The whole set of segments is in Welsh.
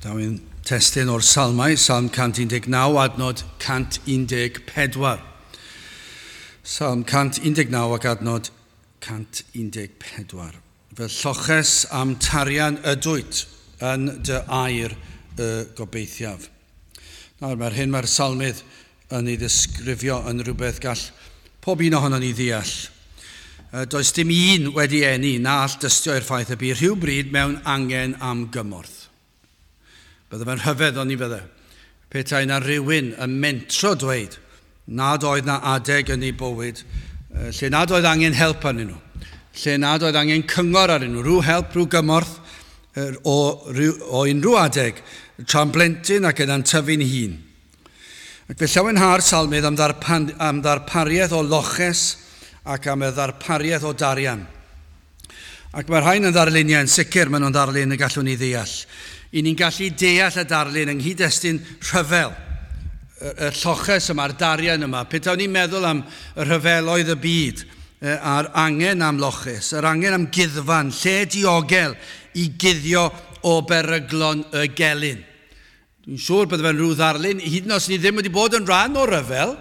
Daw ein testun o'r Salmau, Salm 119, adnod 114. Salm 119 ac adnod 114. Fy lloches am tarian ydwyt yn dy air y gobeithiaf. Nawr, mae'r hyn mae'r salmydd yn ei ddisgrifio yn rhywbeth gall pob un ohonon ni ddeall. Does dim un wedi eni na all dystio i'r ffaith y bu rhywbryd mewn angen am gymorth. Bydde fe'n rhyfedd oni fydde. Petai na rhywun yn mentro dweud nad oedd na adeg yn ei bywyd lle nad oedd angen help arnyn nhw, lle nad oedd angen cyngor arnyn nhw, rhyw help, rhyw gymorth o unrhyw adeg, tra'n blentyn ac yna'n tyfu'n hun. Ac fe llawenha'r salmydd am ddarpariaeth o loches ac am y ddarpariaeth o darian. Ac mae'r rhain yn ddarluniau yn sicr, maen nhw'n ddarlun y gallwn ni ddeall. I ni'n gallu deall y darlun yng nghyd-destun rhyfel, y lloches yma'r darian yma. Petawn ni'n meddwl am y rhyfeloedd y byd, a'r angen am loches, yr angen am guddfan, lle diogel i guddio o beryglon y gelyn. Dwi'n siŵr bydde fe'n rhyw ddarlun, hyd yn oed os ni ddim wedi bod yn rhan o ryfel,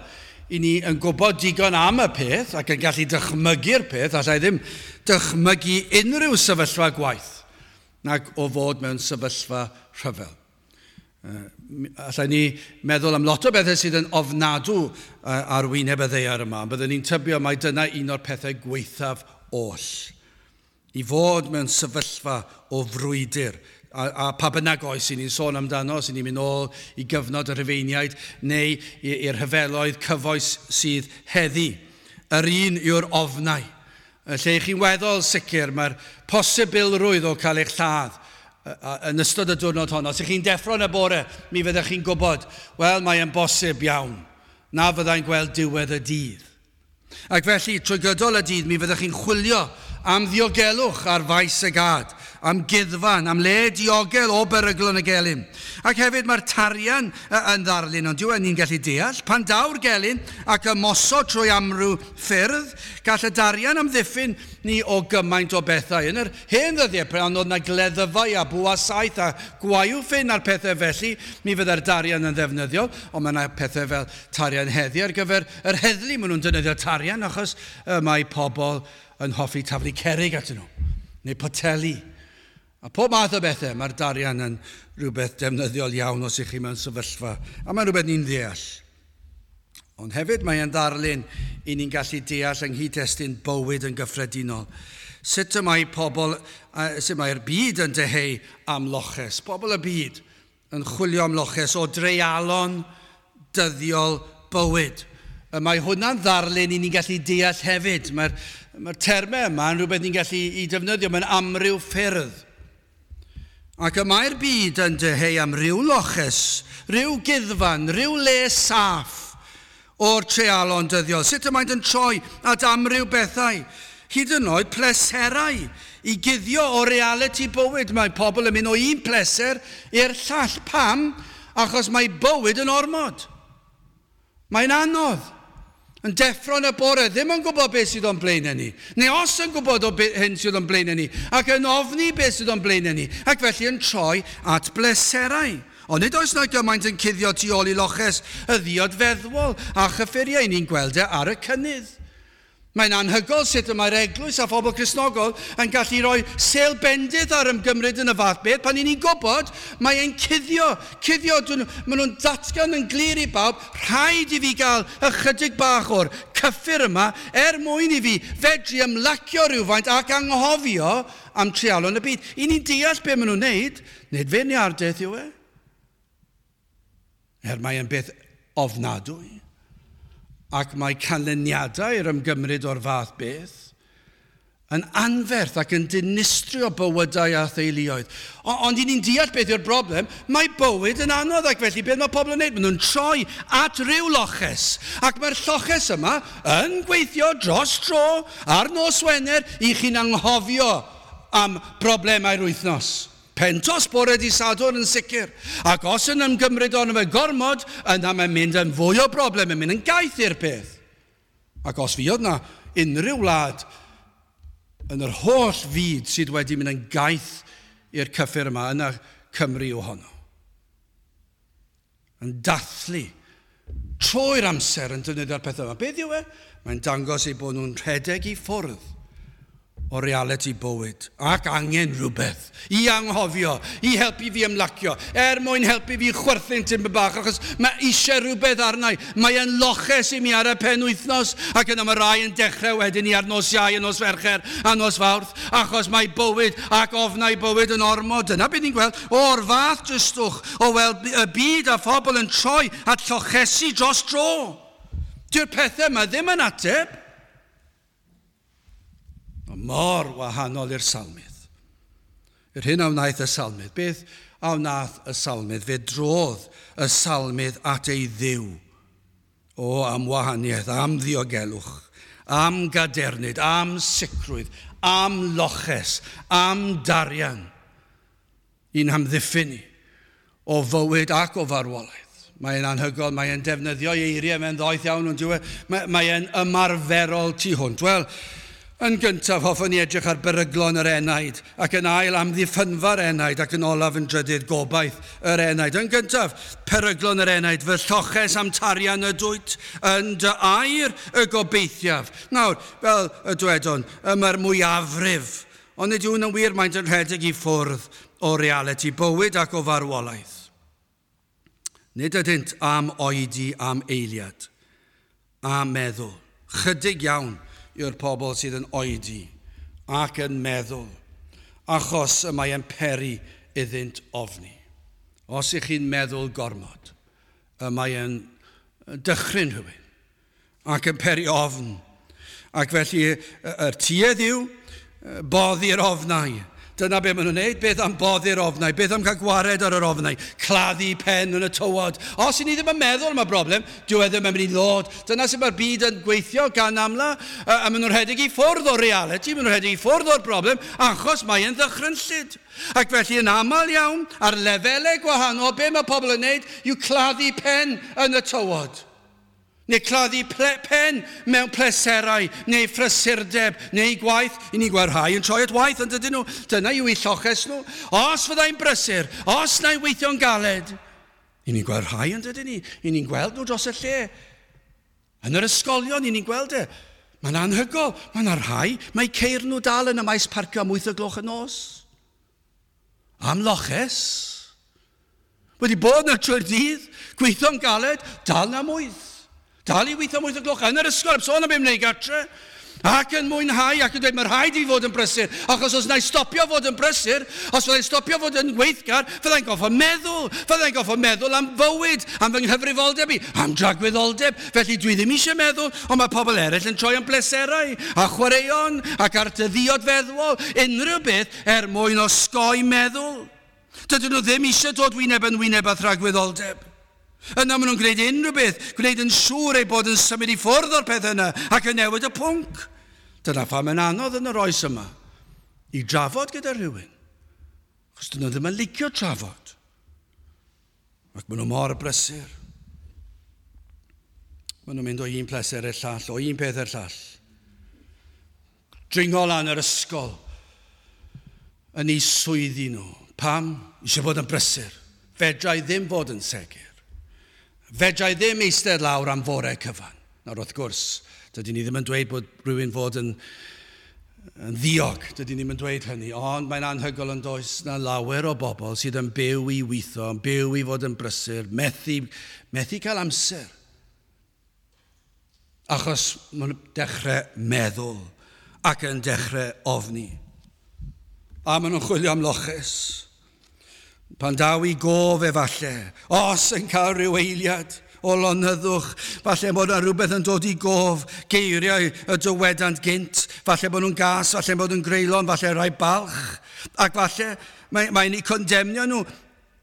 i ni yn gwybod digon am y peth ac yn gallu dychmygu'r peth, allai ddim dychmygu unrhyw sefyllfa gwaith nag o fod mewn sefyllfa rhyfel. Allai ni meddwl am lot o bethau sydd yn ofnadw ar wyneb y ddaear yma, ond byddwn ni'n tybio mai dyna un o'r pethau gwaethaf oll. I fod mewn sefyllfa o frwydr, a pa bynnag oes i ni'n sôn amdano, os i ni'n mynd ôl i gyfnod y Rhufeiniaid neu i'r rhyfeloedd cyfoes sydd heddi. Yr un yw'r ofnau. Lle i chi'n weddol sicr, mae'r posibilrwydd o cael eich lladd yn ystod y diwrnod honno. Os ych chi'n deffro yn y bore, mi fyddech chi'n gwybod, wel, mae'n bosib iawn na fyddai'n gweld diwedd y dydd. Ac felly, trwy gydol y dydd, mi fyddech chi'n chwilio am ddiogelwch ar faes y gad, am guddfan, am le diogel o beryglon y gelyn. Ac hefyd mae'r tarian yn ddarlun, ond dyw e ni'n gallu deall. Pan daw'r gelyn ac ymosod trwy amryw ffyrdd, gall y darian amddiffyn ni o gymaint o bethau. Yn yr hen ddyddiau, pan oedd na gleddyfau a bwa saeth a gwaywffyn a'r pethau felly, mi fydde'r darian yn ddefnyddiol, ond mae yna pethau fel tarian heddi ar gyfer yr heddlu. Maen nhw'n defnyddio tarian achos mae pobl yn hoffi taflu cerrig atyn nhw, neu poteli. A pob math o bethau, mae'r darian yn rhywbeth defnyddiol iawn os ych chi mewn sefyllfa. A mae'n rhywbeth ni'n ddeall. Ond hefyd mae'n ddarlun i ni'n gallu deall yng nghyd-destun bywyd yn gyffredinol. Sut y mae pobl, sut mae'r byd yn dyheu am loches? Pobl y byd yn chwilio am loches o dreialon dyddiol bywyd. Mae hwnna'n ddarlun i ni'n gallu deall hefyd. Mae'r termau yma yn rhywbeth ni'n gallu i defnyddio mewn amryw ffyrdd. Ac y mae'r byd yn dyheu am ryw loches, ryw guddfan, ryw le saff o'r treialon dyddiol. Sut y maent yn troi at amryw bethau, hyd yn oed pleserau i guddio o realiti bywyd. Mae pobl yn mynd o un pleser i'r llall. Pam? Achos mae bywyd yn ormod. Mae'n anodd. Yn deffro yn y bore, ddim yn gwybod beth sydd o'n blaenau ni. Neu os yn gwybod o hyn sydd o'n blaenau ni, ac yn ofni beth sydd o'n blaenau ni, ac felly yn troi at bleserau. Ond nid oes na gymaint yn cuddio tu ôl i loches y ddiod feddwol a chyffuriau ni'n gweld e ar y cynnydd. Mae'n anhygoel sut y mae'r eglwys a phobl Cristnogol yn gallu rhoi sêl bendith ar ymgymryd yn y fath beth pan i ni'n gwybod mae e'n cuddio. Cuddio, maen nhw'n datgan yn glir i bawb, rhaid i fi gael ychydig bach o'r cyffur yma er mwyn i fi fedru ymlacio rhywfaint ac anghofio am treialon y byd. I ni'n deall be maen nhw'n neud, nid feirniadaeth yw e. Er mae e'n beth ofnadwy. Ac mae canlyniadau i'r ymgymryd o'r fath beth yn anferth ac yn dinistrio bywydau a theuluoedd. Ond i ni'n deall beth yw'r broblem, mae bywyd yn anodd ac felly beth mae pobl yn wneud? Maen nhw'n troi at ryw loches. Ac mae'r lloches yma yn gweithio dros dro ar nos Wener i chi'n anghofio am broblemau'r wythnos. Pentos bore di Sadwrn yn sicr. Ac os yn ymgymryd ono fe gormod, yna mae'n mynd yn fwy o broblem, yn mynd yn gaeth i'r peth. Ac os fuodd na unrhyw wlad yn yr holl fyd sydd wedi mynd yn gaeth i'r cyffur yma, yna Cymru yw honno. Yn dathlu trwy'r amser yn defnyddio'r pethau yma. Beth yw e? Mae'n dangos eu bod nhw'n rhedeg i ffwrdd o realiti bywyd ac angen rhywbeth i anghofio, i helpu fi ymlacio, er mwyn helpu fi chwerthin tipyn bach, achos mae eisiau rhywbeth arna i. Mae e'n loches i mi ar y penwythnos, ac yna mae rai yn dechrau wedyn ni ar nos Iau, a nos Fercher, a nos Fawrth, achos mae bywyd ac ofnau bywyd yn ormod. Dyna beth ni'n gweld, o'r fath dristwch o weld y byd a phobl yn troi at llochesi dros dro. Dyw'r pethau yma ddim yn ateb. Mor wahanol i'r salmydd. Yr hyn a wnaeth y salmydd. Beth a wnaeth y salmydd? Fe drodd y salmydd at ei Dduw. O, am wahaniaeth, am ddiogelwch, am gadernid, am sicrwydd, am loches, am darian i'n hamddiffyn ni o fywyd ac o farwolaeth. Mae'n anhygoel, mae'n defnyddio eiriau, mae'n ddoeth iawn, ond dyw e, mae'n ymarferol tu hwnt. Wel, yn gyntaf, hoffwn ni edrych ar beryglon yr enaid, ac yn ail amddiffynfa'r enaid, ac yn olaf yn drydydd gobaith yr enaid. Yn gyntaf, peryglon yr enaid, fy lloches am tarian ydwyt, yn dy air y gobeithiaf. Nawr, fel y dwedon, y mae'r mwyafrif, ond nid yw'n wir, maent yn rhedeg i ffwrdd o realiti bywyd ac o farwolaeth. Nid ydynt am oedi am eiliad, a meddwl. Chydig iawn yw'r pobl sydd yn oedi ac yn meddwl, achos y mae e'n peri iddynt ofni. Os ych chi'n meddwl gormod, y mae e'n dychryn rhywun ac yn peri ofn. Ac felly yr tuedd yw boddi'r ofnau. Dyna be maen nhw'n neud, beth am boddi'r ofnau, beth am cael gwared ar yr ofnau, claddu pen yn y tywod. Os i ni ddim yn meddwl am y broblem, dyw e ddim yn mynd i ddod. Dyna sut mae'r byd yn gweithio gan amla, a maen nhw'n rhedeg i ffwrdd o'r reality, maen nhw'n rhedeg i ffwrdd o'r broblem, achos mae e'n ddychrynllyd. Ac felly yn aml iawn, ar lefelau gwahanol, be mae pobl yn neud yw claddu pen yn y tywod. Neu claddu pen mewn pleserau, neu phrysurdeb, neu gwaith. I ni'n gweld rhai yn troi at waith, ond dydyn nhw. Dyna yw eu lloches nhw. Os fyddai'n brysur, os na'i weithio'n galed. I ni'n gweld rhai, ond dydyn ni. I ni'n gweld nhw dros y lle. Yn yr ysgolion, i ni'n gweld e. Mae'n anhygoel. Mae yna rhai, mae ceir nhw dal yn y maes parcio am 8 o gloch y nos. Am loches. Wedi bod yna trwy'r dydd, gweithio'n galed, dal na am 8. Dal i weithio am 8 o gloch yn yr ysgol, heb sôn am beth wneud gartre. Ac yn mwynhau, ac yn dweud, mae rhaid i fi fod yn brysur. Achos os na i stopio fod yn brysur, os fyddai'n stopio fod yn weithgar, fyddai'n goffo meddwl. Fyddai'n goffo meddwl am fywyd, am fy nghyfrifoldeb i, am dragwyddoldeb. Felly dwi ddim eisiau meddwl, ond mae pobl eraill yn troi am bleserau, a chwaraeon, ac ar dyddiod feddwol, unrhyw beth er mwyn osgoi meddwl. Dydyn nhw ddim eisiau dod wyneb yn wyneb â thragwyddoldeb. Yna maen nhw'n gwneud unrhyw beth, gwneud yn siŵr eu bod yn symud i ffwrdd o'r peth yna ac yn newid y pwnc. Dyna pham mae'n anodd yn yr oes yma i drafod gyda rhywun. Achos dyn nhw ddim yn licio trafod. Ac maen nhw mor brysur. Maen nhw'n mynd o un pleser i'r llall, o un peth i'r llall. Dringo lan yr ysgol yn eu swyddi nhw. Pam? Eisiau bod yn brysur. Fedra i ddim fod yn segur. Fedra i ddim eistedd lawr am fore cyfan. Nawr wrth gwrs, dydyn ni ddim yn dweud bod rhywun fod yn ddiog. Dydyn ni ddim yn dweud hynny, ond mae'n anhygoel yn does na lawer o bobl sydd yn byw i weithio, yn byw i fod yn brysur, methu cael amser. Achos maen nhw'n dechrau meddwl ac yn dechrau ofni. A maen nhw'n chwilio am loches. Pan daw i gof efalle, os yn cael rhyw eiliad o lonyddwch, falle bod yna rhywbeth yn dod i gof, geiriau y dywedant gynt, falle bod nhw'n gas, falle bod nhw'n greulon, falle rhai balch, ac falle mae'n eu condemnio nhw.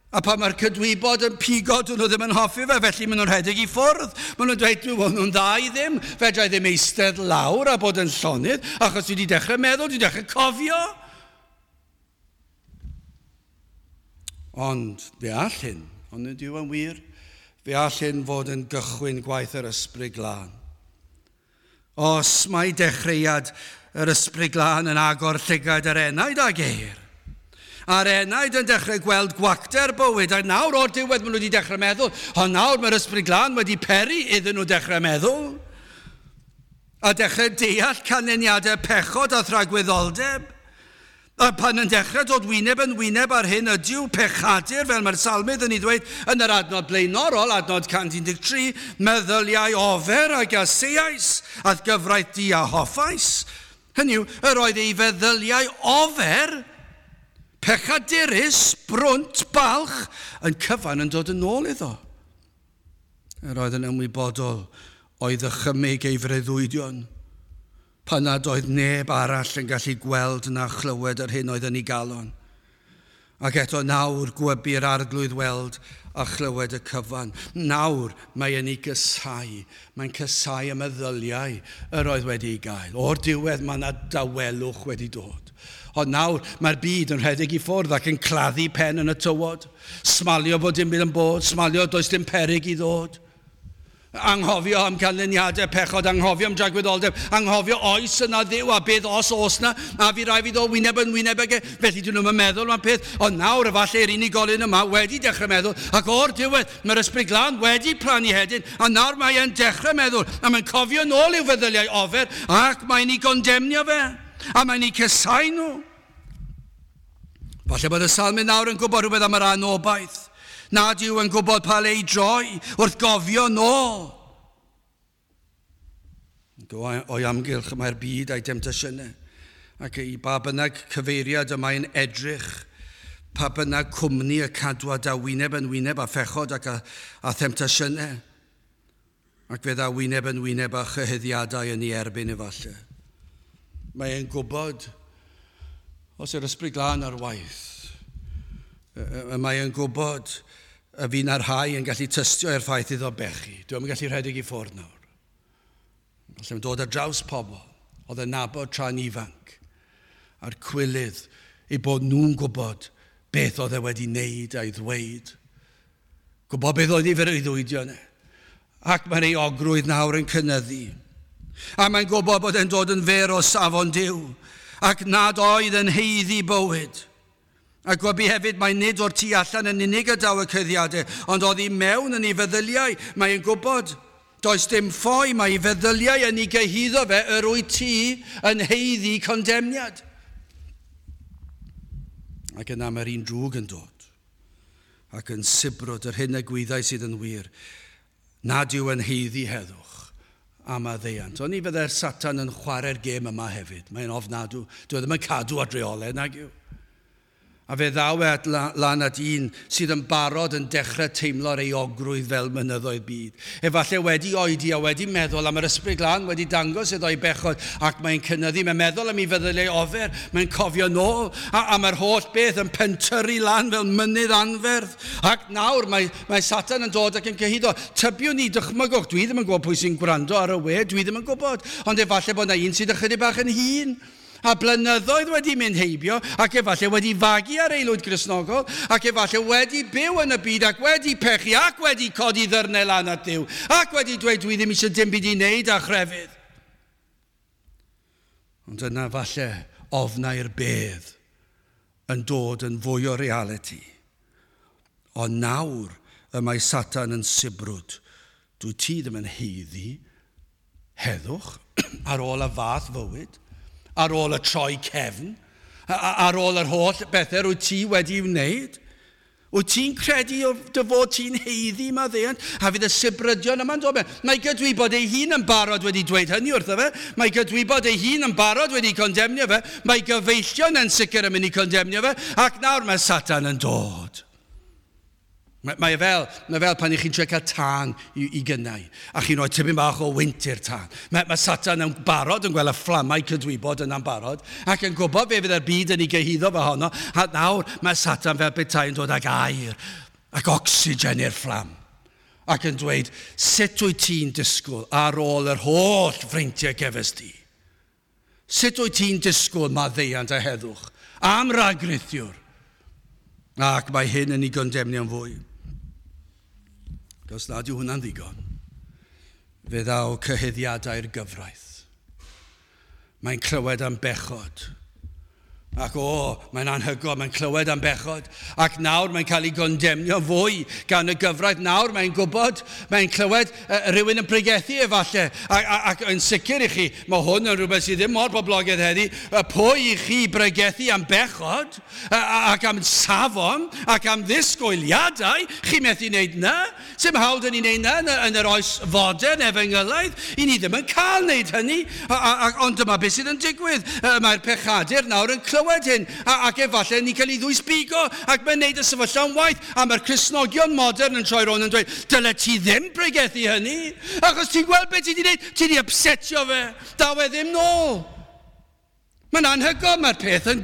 A pan mae'r cydwybod yn pigo, dyn nhw ddim yn hoffi fe, felly maen nhw'n rhedeg i ffwrdd. Maen nhw'n dweud, dwi nhw'n dda i ddim, fedra i ddim eistedd lawr a bod yn llonydd, achos dwi wedi dechrau meddwl, dwi wedi dechrau cofio. Ond fe all hyn, ond nid yw yn wir, fe all hyn fod yn gychwyn gwaith yr Ysbryd Glân. Os mae dechreuad yr Ysbryd Glân yn agor llygad yr enaid a geir, A'r enaid yn dechrau gweld gwacter bywyd, a nawr o'r diwedd maen nhw wedi dechrau meddwl, ond nawr mae'r Ysbryd Glân wedi peri iddyn nhw dechrau meddwl, a dechrau deall canlyniadau pechod a thragwyddoldeb. A pan yn dechrau dod wyneb yn wyneb ar hyn ydyw pechadur, fel mae'r salmydd yn ei ddweud yn yr adnod blaenorol, adnod 113, meddyliau ofer a gaseais, ath gyfraith di a hoffais. Hynny yw, yr oedd ei feddyliau ofer, pechadurus, brwnt, balch, yn cyfan yn dod yn ôl iddo. Yr oedd yn ymwybodol o'i ddychymyg ei freuddwydion, pan nad oedd neb arall yn gallu gweld na chlywed yr hyn oedd yn ei galon. Ac eto nawr gwybu'r Arglwydd weld a chlywed y cyfan. Nawr mae yn ei gysau. Mae'n cysau y meddyliau yr oedd wedi ei gael. O'r diwedd mae yna dawelwch wedi dod. Ond nawr mae'r byd yn rhedeg i ffwrdd ac yn claddu pen yn y tywod. Smalio bod dim byd yn bod, smalio does dim peryg i ddod. Anghofio am canlyniadau pechod, anghofio am dragwyddoldeb, anghofio oes yna Dduw a beth os oes na, a fi rai fi ddod wyneb yn wyneb ag e. Felly dyn nhw'n meddwl am peth, ond nawr efallai'r unigolyn yma wedi dechrau meddwl, ac o'r diwedd mae'r Ysbryd Glân wedi plannu hedyn, a nawr mae e'n dechrau meddwl, a mae'n cofio nôl i'w feddyliau ofer, ac mae'n ei gondemnio fe, a mae'n ei cysau nhw. Falle bod y salmydd nawr yn gwybod rhywbeth am yr anobaith, nad yw yn gwybod pa le i droi wrth gofio nôl. O'i amgylch mae'r byd a'i demtasiynau, ac i ba bynnag cyfeiriad y mae'n edrych, pa bynnag cwmni y cadwad a wyneb yn wyneb a phechod ac a themtasiynau, ac fe dda wyneb yn wyneb a chyhuddiadau yn ei erbyn efallai. Mae'n gwybod, os yw'r Ysbryd Glân ar waith, mae'n gwybod y fi na'r rhai yn gallu tystio i'r ffaith iddo bechu. Dwi'n yn gallu rhedeg i ffwrdd nawr. Felly dod ar draws pobl oedd yn nabod tra'n ifanc a'r cwilydd eu bod nhw'n gwybod beth oedd e wedi wneud a'i ddweud. Gwybod beth oedd ei freuddwydio yna. Ac mae'r euogrwydd nawr yn cynyddu. A mae'n gwybod bod e'n dod yn fyr o safon Duw ac nad oedd yn haeddu bywyd. A gwybu hefyd mae nid o'r tu allan yn unig y daw y cyddiadau, ond oedd i mewn yn ei feddyliau. Mae'n gwybod, does dim ffoi, mae ei feddyliau yn ei gyhuddo fe yr wyt ti yn haeddu condemniad. Ac yna mae'r un drwg yn dod, ac yn sibrwd yr hyn y gwyddau sydd yn wir, nad yw yn haeddu heddwch am maddeuant. Ond ni fyddai'r Satan yn chwarae'r gêm yma hefyd. Mae'n ofnadw. Dwi ddim yn cadw at reolau, nag yw. A fe ddaw e lan at un sydd yn barod yn dechrau teimlo'r euogrwydd fel mynyddoedd byd. Efallai wedi oedi a wedi meddwl am yr Ysbryd Glân, wedi dangos iddo ei bechod, ac mae'n cynyddu. Mae'n meddwl am ei feddyliau ofer, mae'n cofio nôl, a mae'r holl beth yn pentyrru lan fel mynydd anferth. Ac nawr mae Satan yn dod ac yn cyhuddo. Tybiwn ni, dychmygwch, dwi ddim yn gwybod pwy sy'n gwrando ar y we, dwi ddim yn gwybod, ond efallai bod yna un sydd ychydig bach yn hŷn. A blynyddoedd wedi mynd heibio, ac efallai wedi fagu ar aelwyd Gristnogol, ac efallai wedi byw yn y byd, ac wedi pechu, ac wedi codi ddyrnau lan at Dduw, ac wedi dweud dwi ddim eisiau dim byd i wneud â chrefydd. Ond yna falle ofnau'r bedd yn dod yn fwy o realiti. Ond nawr y mae Satan yn sibrwd. Dwi ti ddim yn haeddu heddwch ar ôl y fath fywyd, ar ôl y troi cefn, ar ôl yr holl bethau wyt ti wedi wneud. Wyt ti'n credu dy fod ti'n haeddu maddeuant? A fydd y sibrydion yma'n dod. Mae gydwybod ei hun yn barod wedi dweud hynny wrtho fe. Mae gydwybod ei hun yn barod wedi condemnio fe. Mae gyfeillion yn sicr yn mynd i condemnio fe. Ac nawr mae Satan yn dod. Mae fel pan i chi'n trio cael tân i gynnau, a chi'n rhoi tipyn bach o wynt i'r tân. Mae Satan yn barod yn gweld y fflamau cydwybod yna'n barod, ac yn gwybod fe fydd yr byd yn ei gyhuddo fe honno, a nawr mae Satan fel petai yn dod ag aer ac ocsigen i'r fflam, ac yn dweud, sut wyt ti'n disgwyl ar ôl yr holl freintiau gefes di? Sut wyt ti'n disgwyl maddeuant a heddwch am ragrithiwr? Ac mae hyn yn ei gondemnio'n fwy. Os nad yw hwnna'n ddigon, fe ddaw cyhuddiadau'r gyfraith. Mae'n clywed am bechod. Ac o, mae'n anhygoel, mae'n clywed am bechod. Ac nawr mae'n cael ei gondemnio fwy gan y gyfraith. Nawr mae'n gwybod, mae'n clywed rhywun yn pregethu efallai. Ac yn sicr i chi, mae hwn yn rhywbeth sydd ddim mor boblogaidd heddi. Pwy i chi bregethu am bechod ac am safon ac am ddisgwyliadau, chi methu wneud na. Sim hawl dyn ni'n wneud na yn yr oes fodern efengylaidd. I ni ddim yn cael wneud hynny. Ond dyma beth sydd yn digwydd. Mae'r pechadur nawr yn clywed hyn, ac efallai ni'n cael ei ddwysbigo, ac mae'n neud y sefyllfa'n waith, a mae'r Cristnogion modern yn troi rownd yn dweud, dyle ti ddim pregethu hynny, achos ti'n gweld beth ti wedi wneud, ti wedi upsetio fe, daw e ddim nôl. Mae'n anhygoel, mae'r peth yn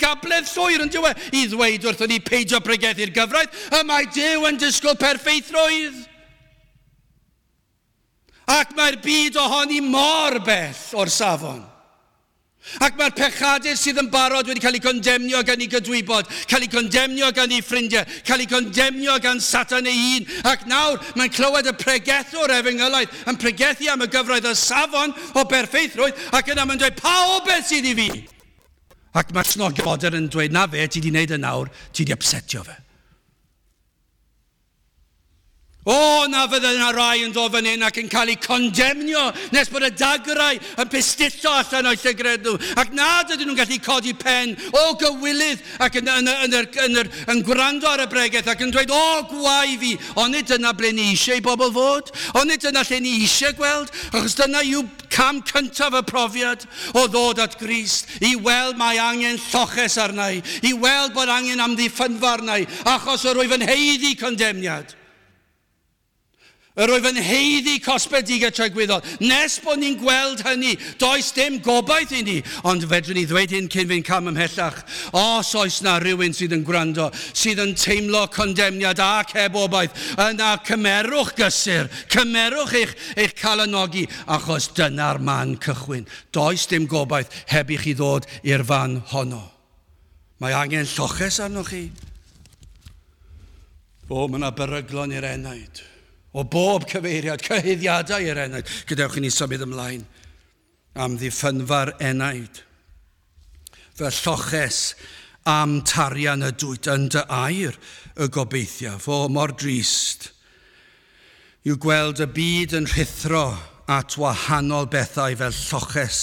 gabledd llwyr yn dyw e, i ddweud wrthon ni peidio pregethu'r gyfraith, y mae Duw yn disgwyl perffeithrwydd. Ac mae'r byd ohoni mor bell o'r safon. Ac mae'r pechadur sydd yn barod wedi cael ei condemnio gan ei gydwybod, cael ei condemnio gan ei ffrindiau, cael ei condemnio gan Satan ei hun. Ac nawr mae'n clywed y pregethwr efengylaidd yn pregethu am y gyfraith y safon o berffeithrwydd, ac yna mae'n dweud, pa obaith sydd i fi? Ac mae'r Cristnogion modern yn dweud, na fe, ti wedi wneud y nawr, ti wedi upsetio fe. O, na fydde yna rai yn dod fan hyn ac yn cael eu condemnio nes bod y dagrau yn pistillo allan o'i llygred nhw. Ac nad ydyn nhw'n gallu codi pen o gywilydd ac yn gwrando ar y bregeth ac yn dweud, o, gwae fi. Onid dyna ble ni eisiau i bobl fod? Onid dyna lle ni eisiau gweld? Achos dyna yw cam cyntaf y profiad o ddod at Grist, i weld mae angen lloches arna i, i weld bod angen amddiffynfa arna i, achos yr wyf yn haeddu condemniad. Yr oedd yn haeddu cosbedigaeth tragwyddol. Nes bod ni'n gweld hynny, does dim gobaith i ni. Ond fedrwn ni ddweud hyn cyn fi'n cam ymhellach. Os oes na rhywun sydd yn gwrando, sydd yn teimlo condemniad ac heb obaith, yna cymerwch gysur, cymerwch eich calanogi, achos dyna'r man cychwyn. Does dim gobaith heb i chi ddod i'r fan honno. Mae angen lloches arnoch chi. O, mae yna beryglon i'r enaid. O bob cyfeiriad, cyhuddiadau i'r enaid. Gadewch i ni symud ymlaen am ddiffynfa'r enaid. Fy lloches am tarian y dwyt yn dy air y gobeithiaf. O, mor drist yw gweld y byd yn rhuthro at wahanol bethau fel lloches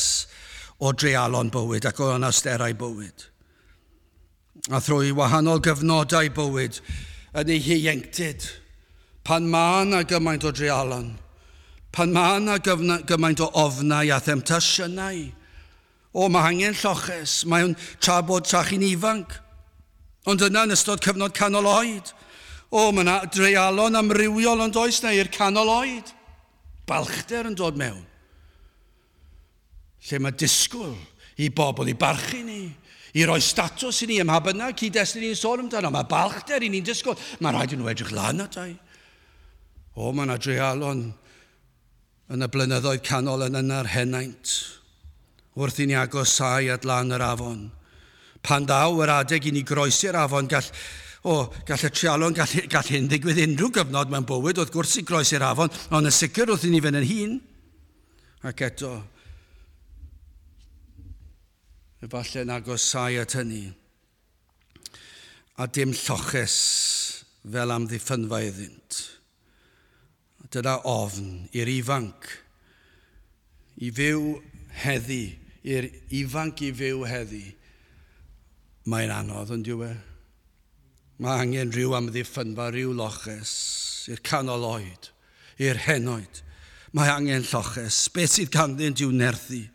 o dreialon bywyd ac o anawsterau bywyd. A thrwy wahanol gyfnodau bywyd yn ei hieuenctid, pan mae yna gymaint o dreialon, pan mae yna gymaint o ofnau a themtasiynau, o, mae angen lloches, mae'n tra bod tra chi'n ifanc, ond yna yn ystod cyfnod canol oed, o, mae yna dreialon amrywiol ond oes na i'r canol oed, balchder yn dod mewn, lle mae disgwyl i bobl i barchu ni, i roi statws i ni ym mha bynnag cyd-destun ni'n sôn amdano, mae balchder i ni'n disgwyl, mae rhaid i nhw edrych lan atai. O, mae yna dreialon yn y blynyddoedd canol yn yna'r henaint, wrth i ni agosau at lan yr afon. Pan ddaw yr adeg i ni groesi'r afon, gall y treialon, gall hyn ddigwydd unrhyw gyfnod mewn bywyd, wrth gwrs i groesi'r afon, ond yn sicr wrth i ni fynd yn hun. Ac eto, efallai yn agosau at hynny, a dim lloches fel amddiffynfa iddynt. Dyna ofn i'r ifanc i fyw heddi, i'r ifanc i fyw heddi. Mae'n anodd, yn dyw e? Mae angen rhyw amddiffynfa, rhyw loches, i'r canol oed, i'r henoed. Mae angen lloches. Beth sydd ganddynt i'w nerthu?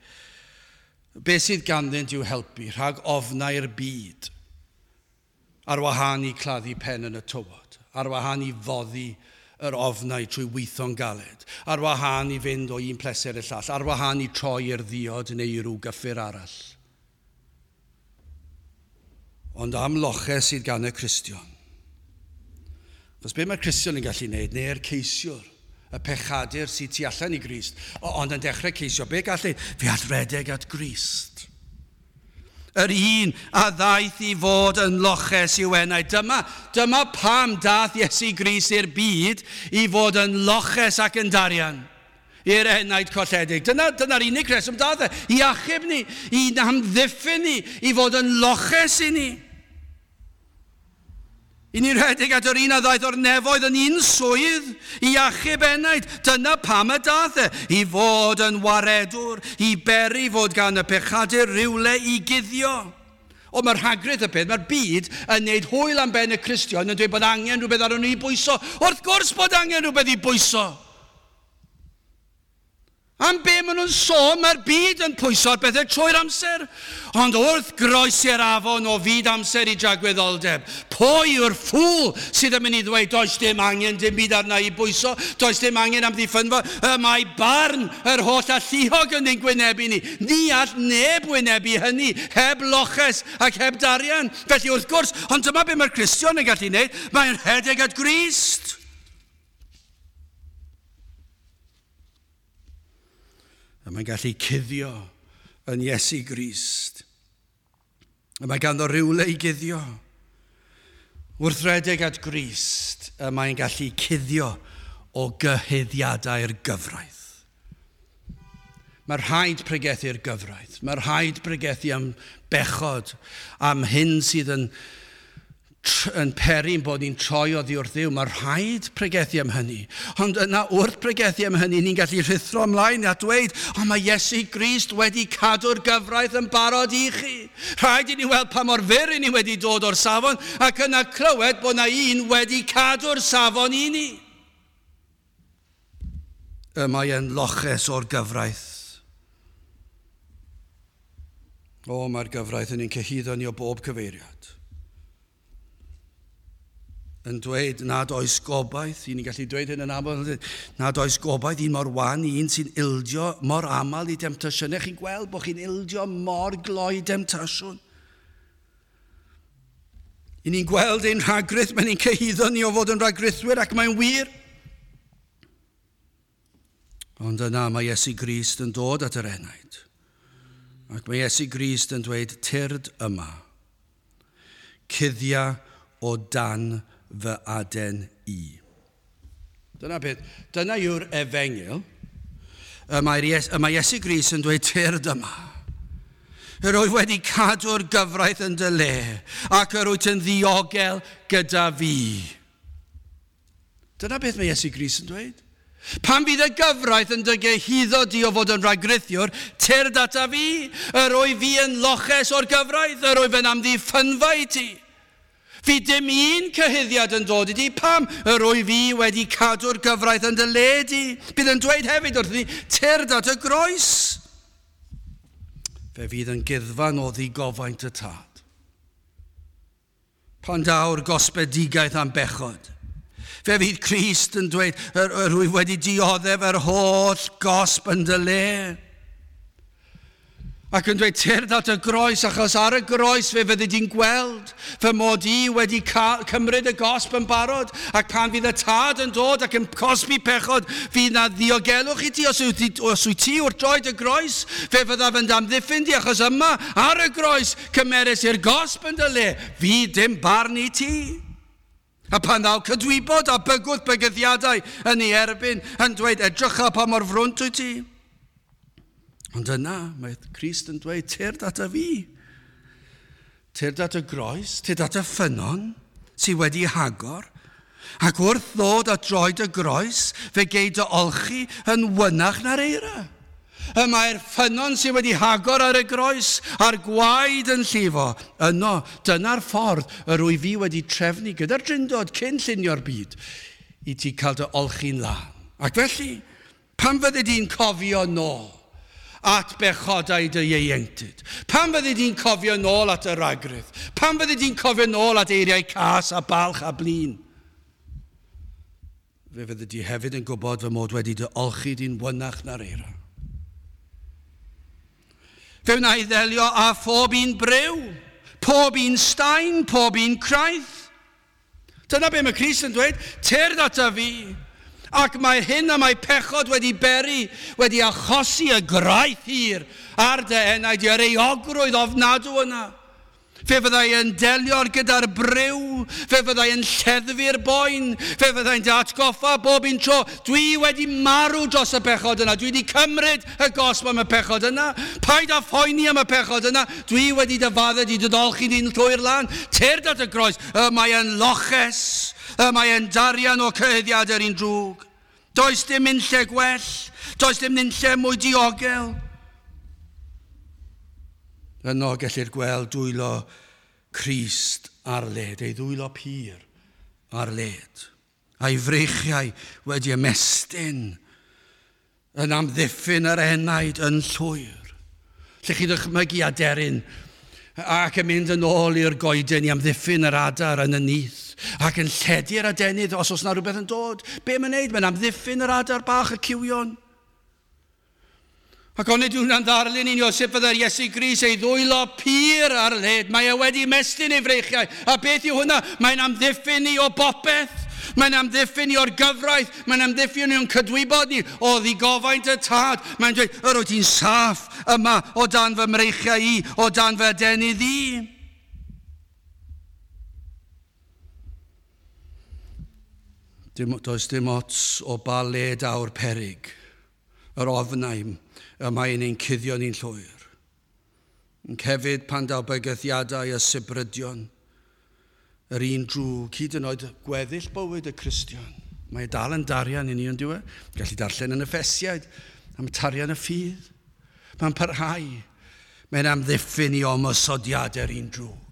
Beth sydd ganddynt i'w helpu rhag ofnau'r byd? Ar wahân i claddu pen yn y tywod, ar wahân i foddi yr ofnau trwy weithio'n galed, ar wahân i fynd o un pleser i'r llall, ar wahân i troi i'r ddiod neu i ryw gyffur arall. Ond am loches sydd gan y Cristion. Achos be mae'r Cristion yn gallu wneud, neu'r ceisiwr, y pechadur sydd tu allan i Grist, ond yn dechrau ceisio, be gall ei? Fe all redeg at Grist. Yr un a ddaeth i fod yn loches i'w enaid. Dyma pam dath Iesu Grist i'r byd i fod yn loches ac yn darian. I'r enaid colledig. Dyna'r unig reswm dath e. I achub ni, i amddiffyn ni, i fod yn loches i ni. I ni rhedeg at yr un a ddaeth o'r nefoedd yn un swydd i achub enaid. Dyna pam y dath e, i fod yn waredwr, i beri fod gan y pechadur rywle i guddio. O, mae'r rhagrith y peth, mae'r byd yn neud hwyl am ben y Cristion yn dweud bod angen rhywbeth arno ni i bwyso. Wrth gwrs bod angen rhywbeth i bwyso. Am be maen nhw'n sôn, mae'r byd yn pwyso'r bethau trwy'r amser. Ond wrth groesi'r afon o fyd amser i dragwyddoldeb, pwy yw'r ffŵl sydd yn mynd i ddweud, does dim angen dim byd arna i bwyso, does dim angen am ddiffynfa, y mae barn yr holl alluog yn ein gwynebu ni. Ni all neb wynebu hynny, heb loches ac heb darian. Felly wrth gwrs, ond dyma be mae'r Cristion yn gallu wneud, mae'n rhedeg at Grist. A mae'n gallu cuddio yn Iesu Grist. A mae ganddo rywle i guddio. Wrth redeg at Grist, y mae'n gallu cuddio o gyhuddiadau'r gyfraith. Mae rhaid pregethu'r gyfraith. Mae rhaid pregethu am bechod, am hyn sydd yn peri'n bod ni'n troi oddi wrth Dduw. Mae rhaid pregethu am hynny. Ond yna wrth pregethu am hynny, ni'n gallu rhuthro ymlaen a dweud, o, mae Iesu Grist wedi cadw'r gyfraith yn barod i chi. Rhaid i ni weld pa mor fyr i ni wedi dod o'r safon, ac yna clywed bod na un wedi cadw'r safon i ni. Y mae e'n loches o'r gyfraith. O, mae'r gyfraith yn ein cyhuddo ni o bob cyfeiriad. Yn dweud nad oes gobaith, i ni'n gallu dweud hyn yn aml, nad oes gobaith un mor wan, un sy'n ildio mor aml i demtasiynau. Chi'n gweld bod chi'n ildio mor gloi demtasiwn. I ni'n gweld ein rhagrith, mae'n ein cyhuddo ni o fod yn rhagrithwyr ac mae'n wir. Ond yna mae Iesu Grist yn dod at yr enaid. Ac mae Iesu Grist yn dweud, tyrd yma, cuddia o dan fy aden i. Dyna beth, dyna yw'r efengyl. Y mae Iesu Grist yn dweud, tyrd yma. Yr wyf wedi cadw'r gyfraith yn dy le, ac yr wyt yn ddiogel gyda fi. Dyna beth mae Iesu Grist yn dweud. Pan fydd y gyfraith yn dy gyhuddo di o fod yn rhagrithiwr, tyrd ata fi. Yr wyf fi yn loches o'r gyfraith, yr wyf yn amddiffynfa i ti. Fi dim un cyhuddiad yn dod i di, pam yr wyf fi wedi cadw'r gyfraith yn dy le di. Bydd yn dweud hefyd wrth ni, tyrd at y groes. Fe fydd yn guddfan o ddigofaint y tad. Pan daw'r gosbedigaeth am bechod, fe fydd Crist yn dweud, yr wyf wedi dioddef yr holl gosb yn dy le. Ac yn dweud, tyrd at y groes, achos ar y groes fe fyddi di'n gweld fy mod i wedi cymryd y gosb yn barod, ac pan fydd y tad yn dod ac yn cosbi pechod, fydd na ddiogelwch i ti os wyt ti wrth droed y groes, fe fyddaf yn amddiffyn di, achos yma ar y groes cymeres i'r gosb yn dy le, fydd dim barn i ti. A pan ddaw cydwybod a bygwth bygythiadau yn ei erbyn, yn dweud, edrycha pa mor frwnt wyt ti. Ond yna, mae Crist yn dweud, tyrd at y fi. Tyrd at y groes, tyrd at y ffynnon sydd wedi hagor. Ac wrth ddod at droed y groes, fe gei dy olchi yn wynach na'r eira. Y mae'r ffynnon sydd wedi hagor ar y groes, a'r gwaed yn llifo. Yno, dyna'r ffordd yr wyf fi wedi trefnu gyda'r drindod cyn llunio'r byd i ti cael dy olchi'n lân. Ac felly, pan fyddi di'n cofio nôl at bechodau dy ieuenctid? Pan fyddi di'n cofio nôl at y ragrydd? Pan fyddi di'n cofio nôl at eiriau cas a balch a blin? Fe fyddi di hefyd yn gwybod fy mod wedi dy olchi di'n wynach na'r eira. Fe wna i ddelio â phob un bryw, pob un staen, pob un craith. Dyna be mae Crist yn dweud, tyrd ata fi. Ac mae hyn a mae pechod wedi beri, wedi achosi y graith hir ar dy enaid, yr euogrwydd ofnadw yna. Fe fyddai yn delio gyda'r briw. Fe fyddai yn lleddfu'r boen. Fe fyddai'n dy atgoffa bob un tro. Dwi wedi marw dros y pechod yna. Dwi wedi cymryd y gosb am y pechod yna. Paid â phoeni am y pechod yna. Dwi wedi dy faddau di dy ddolchi di'n llwyr lan. Tyrd at y groes. Y mae yn loches. Y mae yn darian o cyhuddiad yr un drwg. Does dim unlle gwell. Does dim unlle mwy diogel. Yno gellir gweld dwylo Crist ar led, ei ddwylo pur ar led, a'i freichiau wedi ymestyn yn amddiffyn yr enaid yn llwyr. Lle chi ddychmygu aderyn ac yn mynd yn ôl i'r goeden i amddiffyn yr adar yn y nyth ac yn lledu'r adenydd os oes na rhywbeth yn dod. Be mae'n neud? Mae'n amddiffyn yr adar bach, y cywion. Ac onid yw hwnna'n ddarlun i ni o sut fyddai'r Iesu Grist ei ddwylo pur ar led. Mae e wedi mestyn ei freichiau. A beth yw hwnna? Mae'n amddiffyn ni o bopeth. Mae'n amddiffyn ni o'r gyfraith. Mae'n amddiffyn ni o'n cydwybod ni o ddigofaint y tad. Mae'n dweud, yr wyt ti'n saff yma o dan fy mreichiau i, o dan fy adenydd i. Does dim ots o ba le daw'r peryg, yr ofnau y mae'n ein cuddio ni'n llwyr. Yn hefyd pan daw bygythiadau a sibrydion, yr un drwg, hyd yn oed gweddill bywyd y Cristion. Mae dal yn darian i ni, ond dyw e? Gallu darllen yn y Effesiaid am tarian y ffydd. Mae'n parhau. Mae'n amddiffyn i ymosodiadau'r un drwg.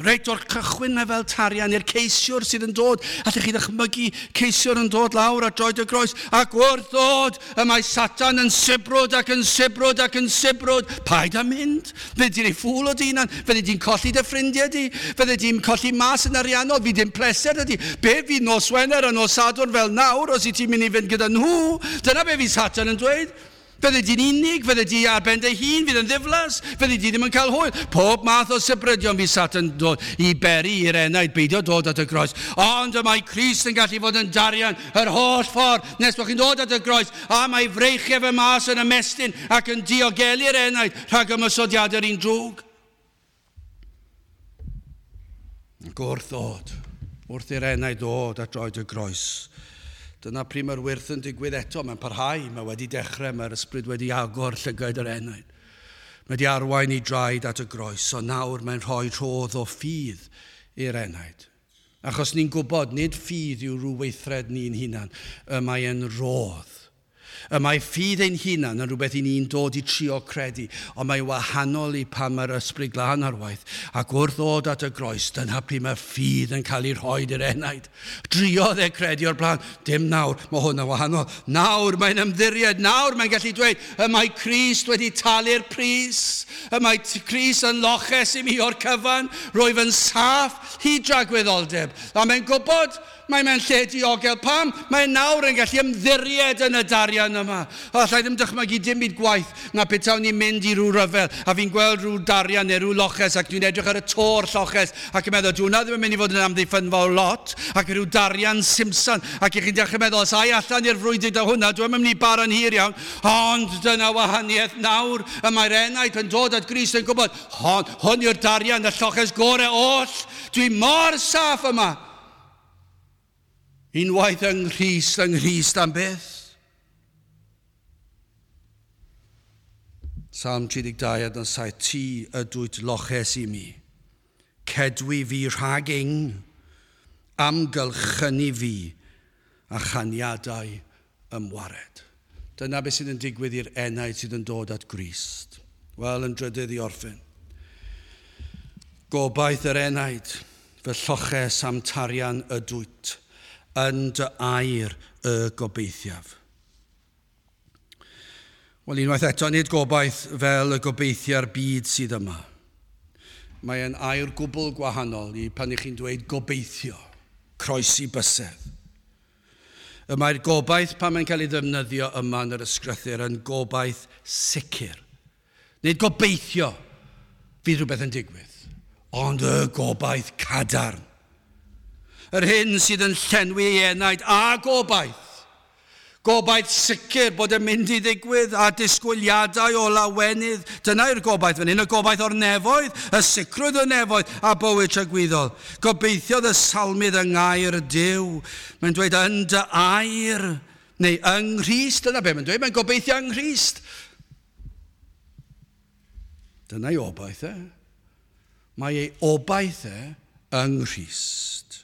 Reit o'r cychwyn mae fel tarian i'r ceisiwr sydd yn dod. Allwch chi ddychmygu ceisiwr yn dod lawr at droed y groes. Ac wrth ddod, y mae Satan yn sibrwd ac yn sibrwd ac yn sibrwd. Paid â mynd. Fyddi di'n ei ffŵl o dy hunan. Fyddi di'n colli dy ffrindiau di. Fyddi di'n colli mas yn ariannol. Fydd dim pleser ydi. Be fydd nos Wener a nos Sadwrn fel nawr os i ti'n mynd i fynd gyda nhw? Dyna be fydd Satan yn dweud. Fyddi di'n unig, fyddi di ar ben dy hun, fydd yn ddiflas, fyddi di ddim yn cael hwyl. Pob math o sibrydion fydd Satan dod i beri i'r enaid beidio dod at y groes. Ond y mae Crist yn gallu fod yn darian yr holl ffordd nes bod chi'n dod at y groes, a mae freichiau fe mas yn ymestyn ac yn diogelu'r enaid rhag ymosodiadau'r un drwg. Ac wrth ddod, wrth i'r enaid ddod at droed y groes, dyna pryd mae'r wyrth yn digwydd eto. Mae'n parhau, mae wedi dechrau, mae'r ysbryd wedi agor llygaid yr enaid. Mae wedi arwain i draed at y groes, so nawr mae'n rhoi rhodd o ffydd i'r enaid. Achos ni'n gwybod, nid ffydd yw rhyw weithred ni'n hunan, y mae'n rodd. Y mae ffydd ein hunan yn rhywbeth i ni'n dod i trio credu, ond mae wahanol i pan mae'r ysbryd glân ar waith. Ac wrth ddod at y groes, dyna pryd mae ffydd yn cael ei rhoi i'r enaid. Driodd e credu o'r blaen, dim nawr, mae hwn yn wahanol. Nawr mae'n ymddiried, nawr mae'n gallu dweud, y mae Crist wedi talu'r pris, y mae Crist yn loches i mi o'r cyfan, rwyf yn saff hyd dragwyddoldeb. A mae'n gwybod, mae mewn lle diogel. Pam? Mae nawr yn gallu ymddiried yn y darian yma. O, allai ddim dychmygu dim byd gwaith na petawn ni'n mynd i ryw ryfel a fi'n gweld rhyw darian neu rhyw loches ac dwi'n edrych ar y to'r lloches ac yn meddwl, dwi'n ddim yn mynd i fod yn amddiffynfa o lot ac rhyw darian simsan ac i chi'n dechrau meddwl, os ai allan i'r frwydr da hwnna, dwi'n mynd i bara'n hir iawn, ond dyna wahaniaeth nawr y mae'r enaid yn dod at Grist yn gwybod, hwn yw'r darian, y lloches gorau oll, dwi mor saff yma. Unwaith yng Nghrist am byth. Salm 32 adnod 7, ti ydwyt loches i mi, cedwi fi rhag ing, amgylchynu fi a chaniadau ymwared. Dyna beth sydd yn digwydd i'r enaid sydd yn dod at Grist. Wel, yn drydydd i orffen. Gobaith yr enaid, fy lloches am tarian ydwyt, yn dy air y gobeithiaf. Wel, unwaith eto, nid gobaith fel y gobeithiau'r byd sydd yma. Mae'n air gwbl gwahanol i pan ych chi'n dweud gobeithio, croesi bysedd. Y mae'r gobaith pan mae'n cael ei ddefnyddio yma yn yr ysgrythur yn gobaith sicr. Nid gobeithio fydd rhywbeth yn digwydd, ond y gobaith cadarn. Yr hyn sydd yn llenwi ei enaid a gobaith. Gobaith sicr bod yn mynd i ddigwydd a disgwyliadau o lawenydd. Dyna yw'r gobaith fan hyn, y gobaith o'r nefoedd, y sicrwydd o'r nefoedd a bywyd tragwyddol. Gobeithiodd y salmydd yng ngair Duw. Mae'n dweud yn dy air, neu yng Nghrist, dyna be mae'n dweud, mae'n gobeithio yng Nghrist. Dyna ei obaith e. Mae ei obaith e yng Nghrist,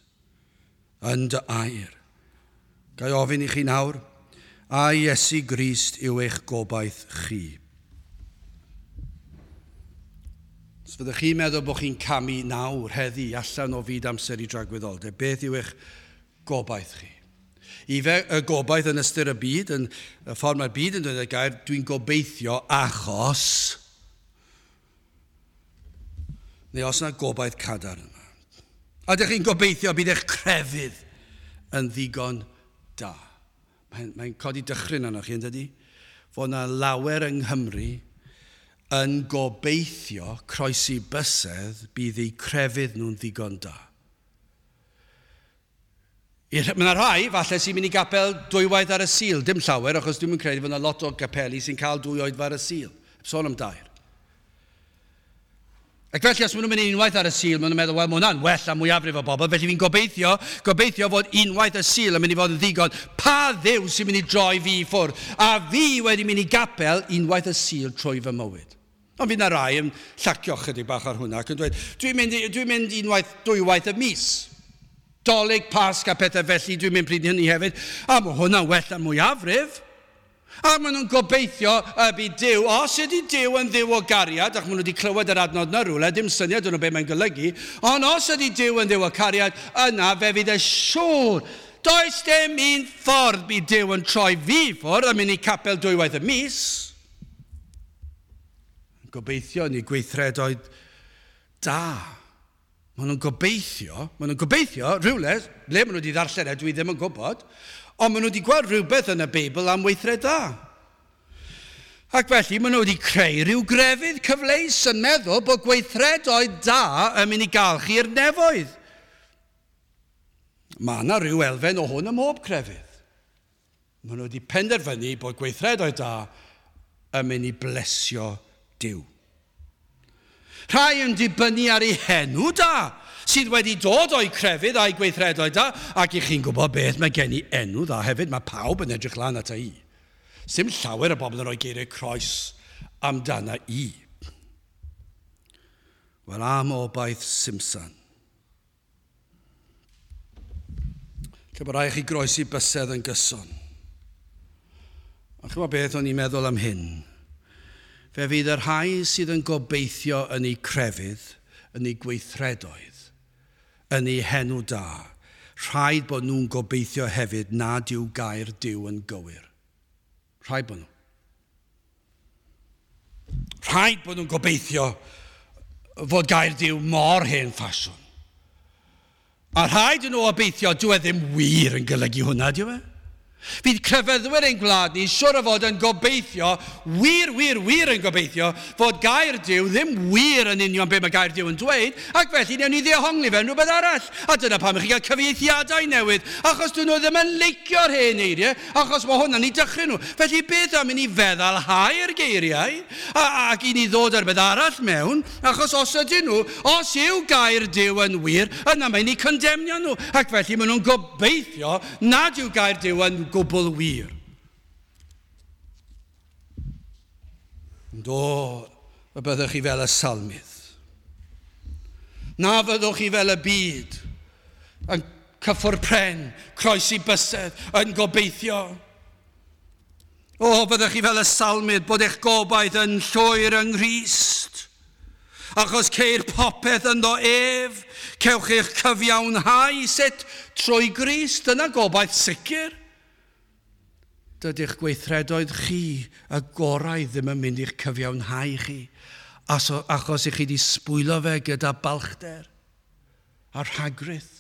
yn dy air. Ga i ofyn i chi nawr, a Iesu Grist yw eich gobaith chi? Os fyddwch chi'n meddwl bod chi'n camu nawr heddi allan o fyd amser i dragwyddoldeb, beth yw eich gobaith chi? Ife y gobaith yn ystyr y byd, yn y ffordd mae'r byd yn dweud y gair, dwi'n gobeithio achos, neu os yna gobaith cadarn yma. A ydych chi'n gobeithio bydd eich crefydd yn ddigon da? Mae'n codi dychryn arnoch chi, yn dydy? Fod yna lawer yng Nghymru yn gobeithio croesi bysedd bydd eu crefydd nhw'n ddigon da. Mae yna rhai, falle, sy'n mynd i gapel dwywaith ar y Sul. Dim llawer, achos dwi'n credu fod yna lot o gapeli sy'n cael dwy oedfa ar y Sul. Sôn am dair. Ac felly, os maen nhw'n mynd unwaith ar y Sul, maen nhw'n meddwl, wel, mae hwnna'n well am mwyafrif o bobl, felly fi'n gobeithio fod unwaith y Sul yn mynd i fod yn ddigon. Pa Dduw sy'n mynd i droi fi i ffwrdd? A fi wedi mynd i gapel unwaith y Sul trwy fy mywyd. Ond fydd yna rai yn llacio chydig bach ar hwnna ac yn dweud, dwi'n mynd unwaith, dwywaith y mis. Dolig, Pasg a pethau felly, dwi'n mynd pryd hynny hefyd. A mae hwnna'n well am mwyafrif. A maen nhw'n gobeithio y bydd Duw, os ydy Duw yn Dduw o gariad, ac maen nhw wedi clywed yr adnod na rhywle, dim syniad yn nhw beth mae'n golygu, ond os ydy Duw yn Dduw o cariad, yna fe fydd e siŵr. Does dim un ffordd bydd Duw yn troi fi ffwrdd a mynd i capel dwywaith y mis. Gobeithio ni gweithredoedd da. Maen nhw'n gobeithio, rhywle, le maen nhw wedi ddarllen e, dwi ddim yn gwybod, ond maen nhw wedi gweld rhywbeth yn y Beibl am weithred dda. Ac felly maen nhw wedi creu rhyw grefydd cyfleus yn meddwl bod gweithredoedd da yn mynd i gael chi i'r nefoedd. Mae yna rhyw elfen o hwn ym mhob crefydd. Maen nhw wedi penderfynu bod gweithredoedd da yn mynd i blesio Duw. Rhai yn dibynnu ar ei henw da, sydd wedi dod o'i crefydd a'i gweithredoedd da, ac i chi'n gwybod beth, mae gen i enw dda hefyd, mae pawb yn edrych lan ata i. Sim llawer o bobl yn rhoi geiriau croes amdana i. Wel, am obaith simsan. Lle bod rhaid chi groesi bysedd yn gyson. A chi'n gwybod beth o'n i'n meddwl am hyn? Fe fydd y rhai sydd yn gobeithio yn eu crefydd, yn eu gweithredoedd, yn eu henw da, rhaid bod nhw'n gobeithio hefyd nad yw gair Duw yn gywir. Rhaid bod nhw. Rhaid bod nhw'n gobeithio fod gair Duw mor hen ffasiwn. A rhaid nhw obeithio, dyw e ddim wir yn golygu hwnna, dyw e? Fydd crefyddwyr ein gwlad ni siwr o fod yn gobeithio, wir, wir, wir yn gobeithio, fod gair Duw ddim wir yn union be mae gair Duw yn dweud, ac felly newn ni ddehongli fe yn rhywbeth arall. A dyna pam i chi gael cyfieithiadau newydd, achos dyn nhw ddim yn leicio'r hen eiriau, achos mae hwnna'n ei dychryn nhw. Felly beth am i ni feddalhau'r geiriau, ac i ni ddod ar beth arall mewn, achos os ydyn nhw, os yw gair Duw yn wir, yna mae'n ei condemnio nhw, ac felly maen nhw'n gobeithio nad yw gair Duw yn gwbl wir. Ond o, y byddwch chi fel y salmydd. Na fyddwch chi fel y byd, yn cyffwrdd pren, croesi bysedd, yn gobeithio. O, byddwch chi fel y salmydd, bod eich gobaith yn llwyr yng Nghrist. Achos ceir popeth ynddo ef, cewch eich cyfiawnhau sut trwy Grist, dyna gobaith sicr. Dydy'ch gweithredoedd chi y gorau ddim yn mynd i'ch cyfiawnhau chi, achos i chi wedi sbwylo fe gyda balchder a rhagrith.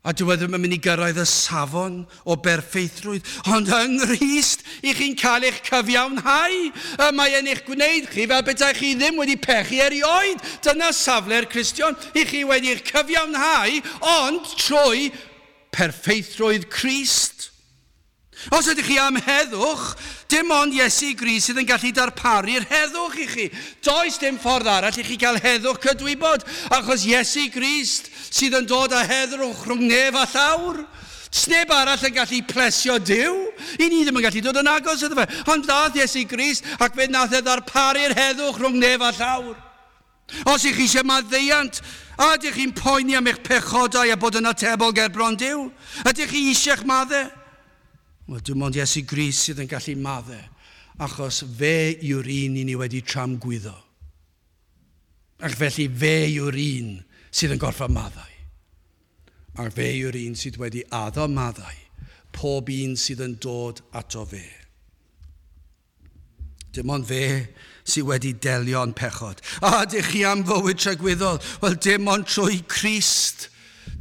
A dyw e ddim yn mynd i gyrraedd y safon o berffeithrwydd, ond yng Nghrist i chi'n cael eich cyfiawnhau. Y mae e'n eich gwneud chi fel petai chi ddim wedi pechu erioed. Dyna safle'r Cristion, i chi wedi eich cyfiawnhau, ond trwy perffeithrwydd Crist. Os ydych chi am heddwch, dim ond Iesu Grist sydd yn gallu darparu'r heddwch i chi. Does dim ffordd arall i chi gael heddwch cydwybod, achos Iesu Grist sydd yn dod â heddwch rhwng nef a llawr. Sneb arall yn gallu plesio Duw. I ni ddim yn gallu dod yn agos iddo fe. Ond ddath Iesu Grist ac fe nath e ddarparu'r heddwch rhwng nef a llawr. Os ych chi eisiau maddeuant, a ydych chi'n poeni am eich pechodau a bod yn atebol ger bron Duw? Ydych chi eisiau'ch maddau? Wel, dim ond Iesu Grist sydd yn gallu maddau, achos fe yw'r un i ni wedi tramgwyddo. Ac felly fe yw'r un sydd yn gorfod maddau. Ac fe yw'r un sydd wedi addo maddau, pob un sydd yn dod ato fe. Dim ond fe sydd wedi delio'n pechod. A ydych chi am fywyd tragwyddol? Wel, dim ond trwy Crist.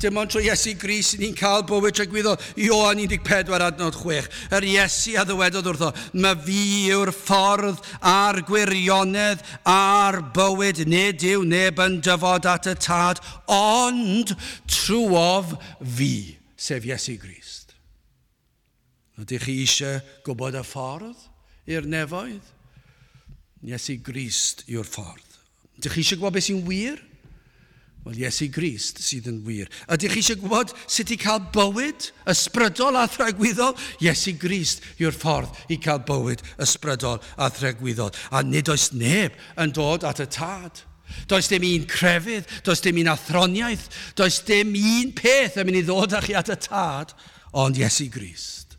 Dim ond trwy Iesu Grist ni'n cael bywyd tragwyddol. Ioan 14 adnod 6. Yr Iesu a ddywedodd wrtho, "Ma fi yw'r ffordd a'r gwirionedd a'r bywyd. Nid yw neb yn dyfod at y Tad, ond trwof fi," sef Iesu Grist. Ydych chi eisiau gwybod y ffordd i'r nefoedd? Iesu Grist yw'r ffordd. Ydych chi eisiau gwybod beth sy'n wir? Wel, Iesu Grist sydd yn wir. Ydych chi eisiau gwybod sut i cael bywyd ysbrydol a thragwyddol? Iesu Grist yw'r ffordd i cael bywyd ysbrydol a thragwyddol. A nid oes neb yn dod at y Tad. Does dim un crefydd, does dim un athroniaeth, does dim un peth yn mynd i ddod â chi at y Tad, ond Iesu Grist.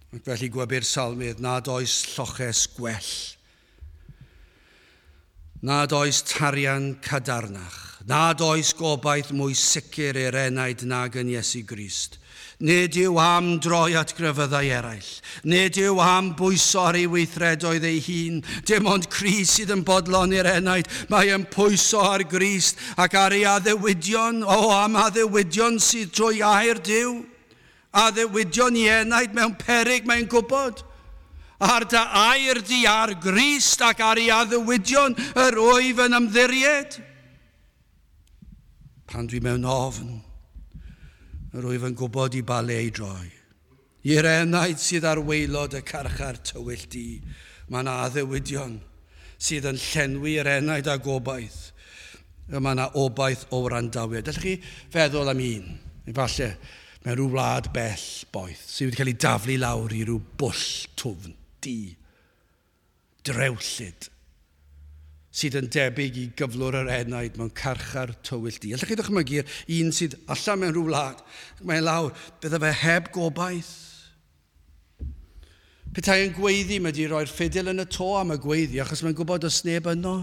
Ac felly gwebyr salmydd nad oes lloches gwell, nad oes tarian cadarnach, nad oes gobaith mwy sicr i'r enaid nag yn Iesu Grist. Nid yw am droi at grefyddau eraill. Nid yw am bwyso ar ei weithredoedd ei hun. Dim ond Crist sydd yn bodloni'r enaid. Mae yn pwyso ar Grist ac ar ei addewidion. O, am addewidion sydd drwy air Duw. Addewidion i enaid mewn peryg mae'n gwybod. Ar dy air di ar Grist ac ar ei addewidion yr wyf yn ymddiried. Pan dwi mewn ofn, yr wyf yn gwybod i ba le i droi. I'r enaid sydd ar waelod y carchar tywyll di, mae yna addewidion sydd yn llenwi yr enaid â gobaith. Mae yna obaith o wrandawiad. Allwch chi feddwl am un, efallai, mewn rhyw wlad bell boeth, sydd wedi cael ei daflu lawr i ryw bwll twfn, du, drewllyd, sydd yn debyg i gyflwr yr enaid mewn carchar tywyll du. Allwch chi ddychmygu'r un sydd allan mewn rhyw wlad, mae'n lawr, bydde fe heb gobaith. Petai yn gweiddi, mae wedi rhoi'r ffidil yn y to am y gweiddi, achos mae'n gwybod does neb yno.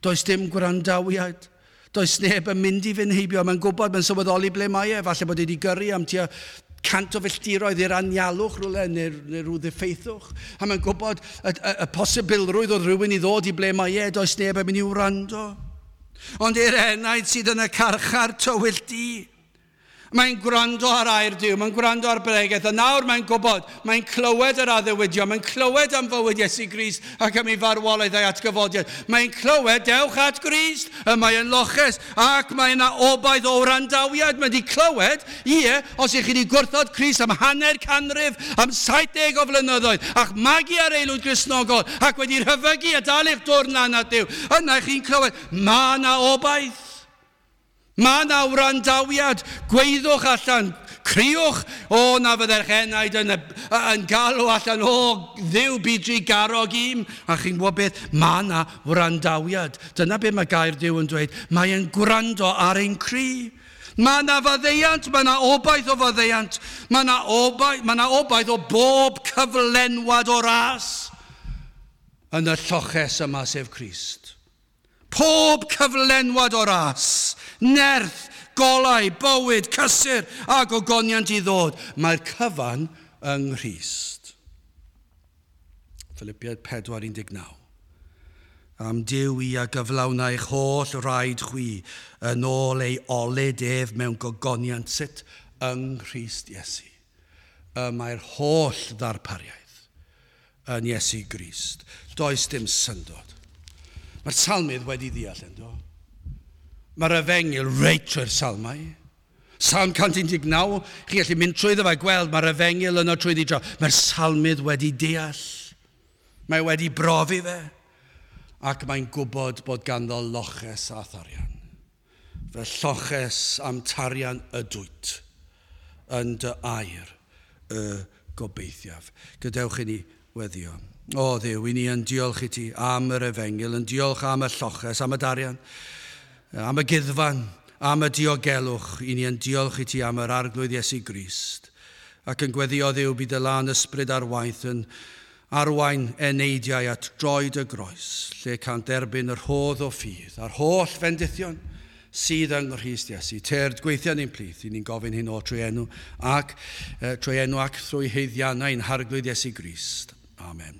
Does dim gwrandawiad. Does neb yn mynd i fynd heibio. Mae'n gwybod, mae'n sylweddoli ble mae e. Falle bod e wedi gyrru am tua 100 o filltiroedd i'r anialwch rhywle neu rhyw ddiffeithwch. A mae'n gwybod y posibilrwydd oedd rhywun i ddod i ble mae e, does neb yn mynd i wrando. Ond i'r enaid sydd yn y carchar tywyll du, mae'n gwrando ar air Duw, mae'n gwrando ar bregeth, a nawr mae'n gwybod, mae'n clywed yr addewidion, mae'n clywed am fywyd Iesu Grist ac am ei farwolaeth a'i atgyfodiad. Mae'n clywed, dewch at Grist, y mae yn loches, ac mae yna obaith o wrandawiad. Mae wedi clywed, ie, os ych chi wedi gwrthod Crist am hanner canrif, am 70 o flynyddoedd, ac magu ar aelwyd Gristnogol, ac wedi rhyfygu a dal eich dwrn lan at Duw, yna chi'n clywed, mae yna obaith. Mae yna wrandawiad, gweiddwch allan, criwch, o na fyddai'ch enaid yn galw allan, o Dduw byd drugarog im. A chi'n gwybod beth, mae yna wrandawiad. Dyna beth mae gair Duw yn dweud, mae e'n gwrando ar ein cri. Mae yna faddeuant, mae yna obaith o faddeuant, mae yna obaith o bob cyflenwad o ras yn y lloches yma sef Crist. Pob cyflenwad o ras, nerth, golau, bywyd, cysur a gogoniant i ddod. Mae'r cyfan yng Nghrist. Philippiaid 4:19. Am Duw i a gyflawna eich holl raid chwi yn ôl ei olud ef mewn gogoniant sut yng Nghrist Iesu. Y mae'r holl ddarpariaeth yn Iesu Grist. Does dim syndod. Mae'r salmydd wedi ddeall ynddo. Mae'r efengyl reit trwy'r salmau. Salm 119, chi gallu mynd trwyddo fe gweld mae'r efengyl yno trwyddi draw. Mae'r salmydd wedi deall. Mae wedi brofi fe. Ac mae'n gwybod bod ganddo loches a tharian. Fe lloches am tarian ydwyt yn dy air y gobeithiaf. Gadewch i ni weddio. O Dduw, i ni yn diolch i ti am yr efengyl, yn diolch am y lloches, am y darian, am y gyddfan, am y diogelwch. I ni yn diolch i ti am yr arglwydd Iesu Grist. Ac yn gweddio Dduw bydd y lân ysbryd ar waith yn arwain eneidiau at droed y groes, lle can derbyn yr rhodd o ffydd a'r holl fendithion sydd yng Nghrist Iesu. Tyrd gweithio ni'n plith, i ni'n gofyn hyn o trwy enw ac, trwy enw ac trwy haeddiannau ein harglwydd Iesu Grist. Amen.